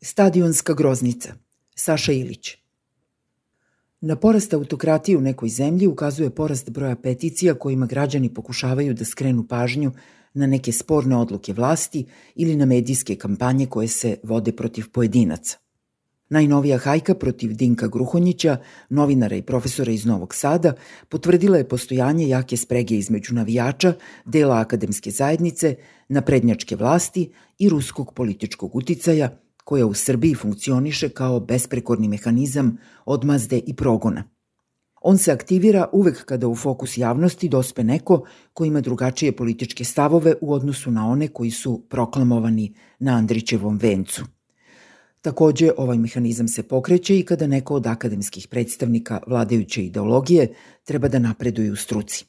Stadionska groznica. Saša Ilić. Na porast autokratije u nekoj zemlji ukazuje porast broja peticija kojima građani pokušavaju da skrenu pažnju na neke sporne odluke vlasti ili na medijske kampanje koje se vode protiv pojedinaca. Najnovija hajka protiv Dinka Gruhonjića, novinara i profesora iz Novog Sada, potvrdila je postojanje jake sprege između navijača, dela akademske zajednice, naprednjačke vlasti i ruskog političkog uticaja, koja u Srbiji funkcioniše kao besprekorni mehanizam odmazde i progona. On se aktivira uvek kada u fokus javnosti dospe neko ko ima drugačije političke stavove u odnosu na one koji su proklamovani na Andrićevom vencu. Takođe, ovaj mehanizam se pokreće i kada neko od akademskih predstavnika vladajuće ideologije treba da napreduje u struci.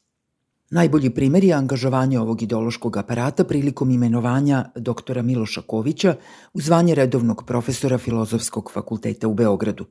Najbolji primer je angažovanje ovog ideološkog aparata prilikom imenovanja doktora Miloša Kovića u zvanje redovnog profesora Filozofskog fakulteta u Beogradu.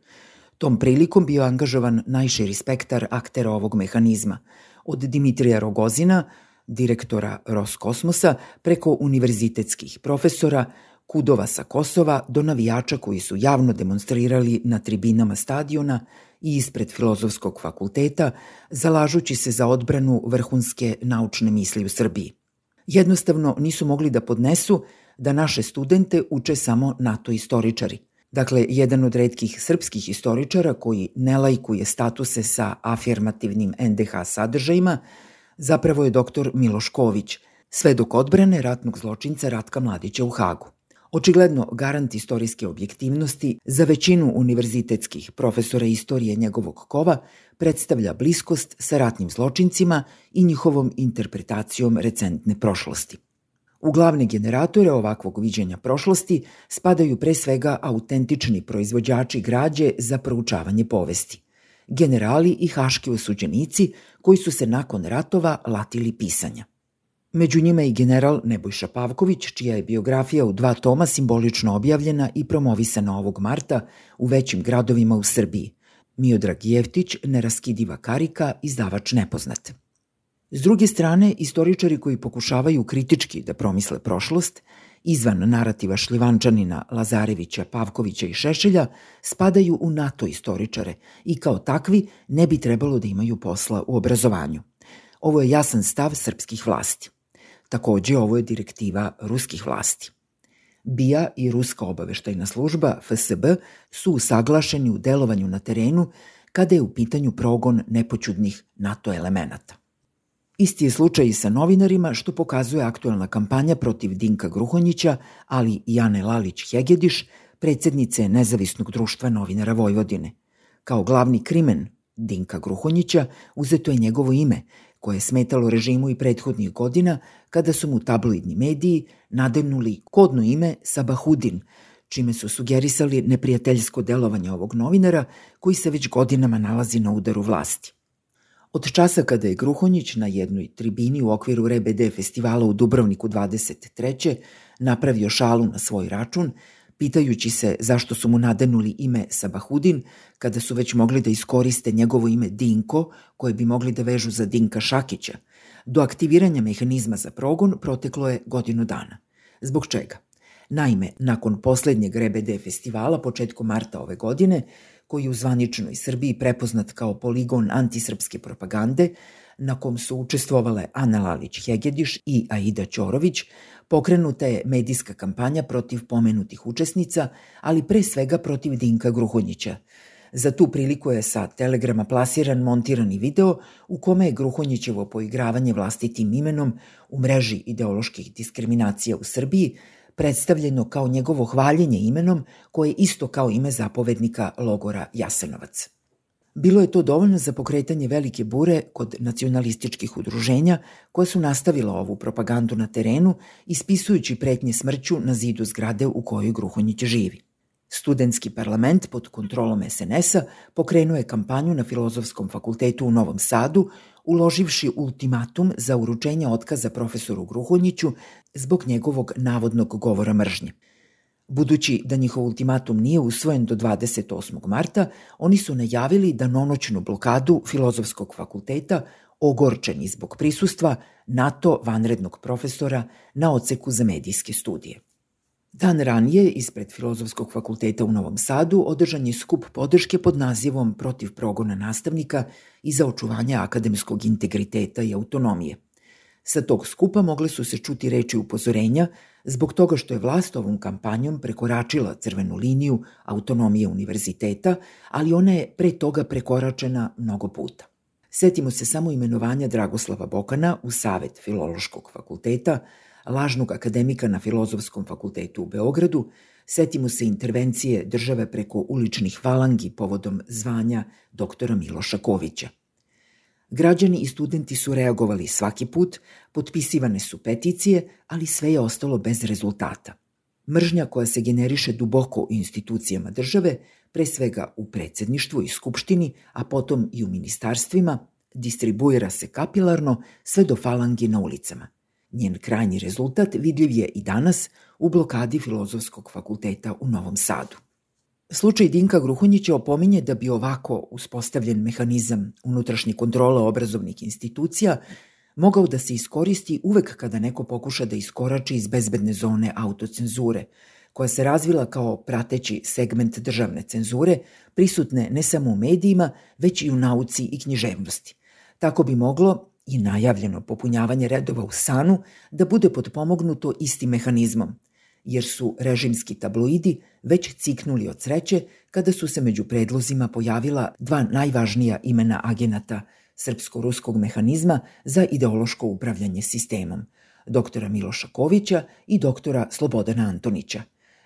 Tom prilikom bio angažovan najširi spektar aktera ovog mehanizma, od Dimitrija Rogozina, direktora Roskosmosa, preko univerzitetskih profesora, kudova sa Kosova do navijača koji su javno demonstrirali na tribinama stadiona i ispred Filozofskog fakulteta, zalažući se za odbranu vrhunske naučne misli u Srbiji. Jednostavno nisu mogli da podnesu da naše studente uče samo NATO istoričari. Dakle, jedan od retkih srpskih istoričara koji ne lajkuje statuse sa afirmativnim NDH sadržajima, zapravo je doktor Miloš Ković, svedok odbrane ratnog zločinca Ratka Mladića u Hagu. Očigledno garant istorijske objektivnosti za većinu univerzitetskih profesora istorije njegovog kova predstavlja bliskost sa ratnim zločincima i njihovom interpretacijom recentne prošlosti. U glavne generatore ovakvog viđenja prošlosti spadaju pre svega autentični proizvođači građe za proučavanje povesti, generali i haški osuđenici koji su se nakon ratova latili pisanja. Među njima je i general Nebojša Pavković, čija je biografija u 2 toma simbolično objavljena i promovisana ovog marta u većim gradovima u Srbiji. Miodrag Jeftić, neraskidiva karika, izdavač Nepoznat. S druge strane, istoričari koji pokušavaju kritički da promisle prošlost, izvan narativa Šljivančanina, Lazarevića, Pavkovića i Šešelja, spadaju u NATO istoričare i kao takvi ne bi trebalo da imaju posla u obrazovanju. Ovo je jasan stav srpskih vlasti. Takođe, ovo je direktiva ruskih vlasti. BIA i Ruska obaveštajna služba, FSB, su usaglašeni u delovanju na terenu kada je u pitanju progon nepoćudnih NATO elemenata. Isti je slučaj i sa novinarima, što pokazuje aktuelna kampanja protiv Dinka Gruhonjića, ali i Ane Lalić-Hegediš, predsednice Nezavisnog društva novinara Vojvodine. Kao glavni krimen Dinka Gruhonjića uzeto je njegovo ime, koje je smetalo režimu i prethodnih godina kada su mu tabloidni mediji nadenuli kodno ime Sabahudin, čime su sugerisali neprijateljsko delovanje ovog novinara koji se već godinama nalazi na udaru vlasti. Od časa kada je Gruhonjić na jednoj tribini u okviru RBD festivala u Dubrovniku 23. napravio šalu na svoj račun, pitajući se zašto su mu nadenuli ime Sabahudin, kada su već mogli da iskoriste njegovo ime Dinko, koje bi mogli da vežu za Dinka Šakića, do aktiviranja mehanizma za progon proteklo je godinu dana. Zbog čega? Naime, nakon poslednjeg RBD festivala početkom marta ove godine, koji je u zvaničnoj Srbiji prepoznat kao poligon antisrpske propagande, na kom su učestvovale Ana Lalić-Hegediš i Aida Ćorović, pokrenuta je medijska kampanja protiv pomenutih učesnica, ali pre svega protiv Dinka Gruhonjića. Za tu priliku je sa Telegrama plasiran montirani video u kome je Gruhonjićevo poigravanje vlastitim imenom u mreži ideoloških diskriminacija u Srbiji predstavljeno kao njegovo hvaljenje imenom koje je isto kao ime zapovednika logora Jasenovac. Bilo je to dovoljno za pokretanje velike bure kod nacionalističkih udruženja koja su nastavila ovu propagandu na terenu, ispisujući pretnje smrću na zidu zgrade u kojoj Gruhonjić živi. Studentski parlament pod kontrolom SNS-a pokrenuo je kampanju na Filozofskom fakultetu u Novom Sadu, uloživši ultimatum za uručenje otkaza profesoru Gruhonjiću zbog njegovog navodnog govora mržnje. Budući da njihov ultimatum nije usvojen do 28. marta, oni su najavili danonoćnu blokadu Filozofskog fakulteta, ogorčeni zbog prisustva NATO vanrednog profesora na odseku za medijske studije. Dan ranije, ispred Filozofskog fakulteta u Novom Sadu, održan je skup podrške pod nazivom Protiv progona nastavnika i za očuvanje akademskog integriteta i autonomije. Sa tog skupa mogle su se čuti reči upozorenja zbog toga što je vlast ovom kampanjom prekoračila crvenu liniju autonomije univerziteta, ali ona je pre toga prekoračena mnogo puta. Setimo se samo imenovanja Dragoslava Bokana u Savet Filološkog fakulteta, lažnog akademika na Filozofskom fakultetu u Beogradu, setimo se intervencije države preko uličnih falangi povodom zvanja doktora Miloša Kovića. Građani i studenti su reagovali svaki put, potpisivane su peticije, ali sve je ostalo bez rezultata. Mržnja koja se generiše duboko u institucijama države, pre svega u predsedništvu i skupštini, a potom i u ministarstvima, distribuira se kapilarno sve do falangi na ulicama. Njen krajnji rezultat vidljiv je i danas u blokadi Filozofskog fakulteta u Novom Sadu. Slučaj Dinka Gruhonjića opominje da bi ovako uspostavljen mehanizam unutrašnje kontrole obrazovnih institucija mogao da se iskoristi uvek kada neko pokuša da iskorači iz bezbedne zone autocenzure, koja se razvila kao prateći segment državne cenzure, prisutne ne samo u medijima, već i u nauci i književnosti. Tako bi moglo i najavljeno popunjavanje redova u SANU da bude potpomognuto istim mehanizmom, jer su režimski tabloidi već ciknuli od sreće kada su se među predlozima pojavila dva najvažnija imena agenata srpsko-ruskog mehanizma za ideološko upravljanje sistemom, doktora Miloša Kovića i doktora Slobodana Antonića.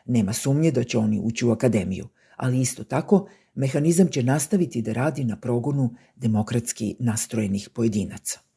Nema sumnje da će oni ući u akademiju, ali isto tako mehanizam će nastaviti da radi na progonu demokratski nastrojenih pojedinaca.